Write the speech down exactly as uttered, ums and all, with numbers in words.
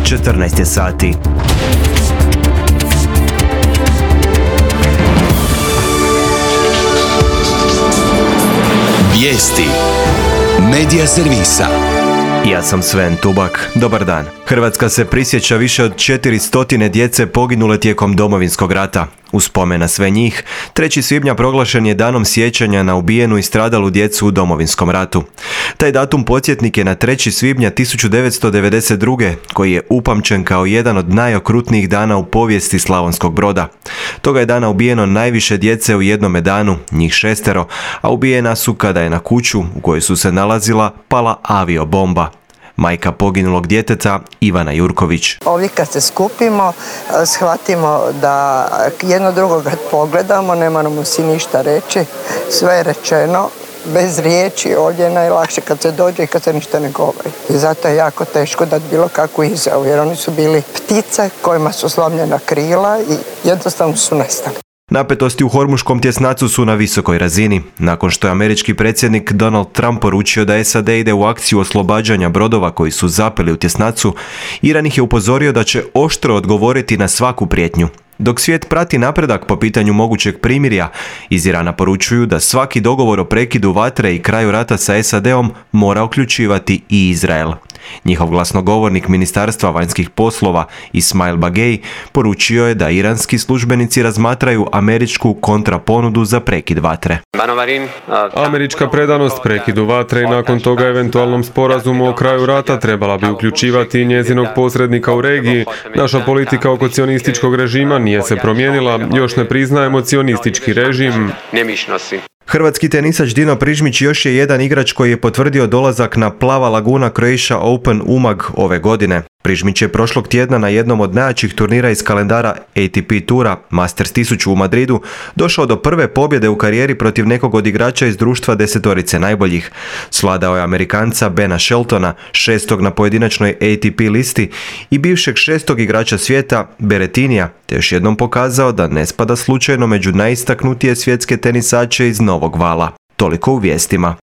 četrnaest je sati. Vijesti Medija servisa. Ja sam Sven Tubak. Dobar dan. Hrvatska se prisjeća više od četiristo djece poginule tijekom Domovinskog rata. U spomen na sve njih, trećeg svibnja proglašen je danom sjećanja na ubijenu i stradalu djecu u Domovinskom ratu. Taj datum podsjetnik je na trećeg svibnja tisuću devetsto devedeset druge. koji je upamćen kao jedan od najokrutnijih dana u povijesti Slavonskog Broda. Toga je dana ubijeno najviše djece u jednome danu, njih šestero, a ubijena su kada je na kuću u kojoj su se nalazila pala aviobomba. Majka poginulog djeteta Ivana Jurković. Ovdje kad se skupimo, shvatimo da jedno drugoga pogledamo, ne moramo si ništa reći, sve je rečeno, bez riječi, ovdje je najlakše kad se dođe i kad se ništa ne govori. I zato je jako teško dati bilo kakvu izjavu, jer oni su bili ptice kojima su slomljena krila i jednostavno su nestali. Napetosti u Hormuškom tjesnacu su na visokoj razini. Nakon što je američki predsjednik Donald Trump poručio da S A D ide u akciju oslobađanja brodova koji su zapeli u tjesnacu, Iran ih je upozorio da će oštro odgovoriti na svaku prijetnju. Dok svijet prati napredak po pitanju mogućeg primirja, iz Irana poručuju da svaki dogovor o prekidu vatre i kraju rata sa S A D-om mora uključivati i Izrael. Njihov glasnogovornik Ministarstva vanjskih poslova Ismail Bagej poručio je da iranski službenici razmatraju američku kontraponudu za prekid vatre. Američka predanost prekidu vatre i nakon toga eventualnom sporazumu o kraju rata trebala bi uključivati njezinog posrednika u regiji. Naša politika oko cionističkog režima nije se promijenila, još ne priznajemo cionistički režim. Hrvatski tenisač Dino Prižmić još je jedan igrač koji je potvrdio dolazak na Plava Laguna Croatia Open Umag ove godine. Prižmić je prošlog tjedna na jednom od najjačih turnira iz kalendara A T P tura, Masters tisuću u Madridu, došao do prve pobjede u karijeri protiv nekog od igrača iz društva desetorice najboljih. Svladao je Amerikanca Bena Sheltona, šestog na pojedinačnoj A T P listi, i bivšeg šestog igrača svijeta Berrettinija, te još jednom pokazao da ne spada slučajno među najistaknutije svjetske tenisače iz novog vala. Toliko u vijestima.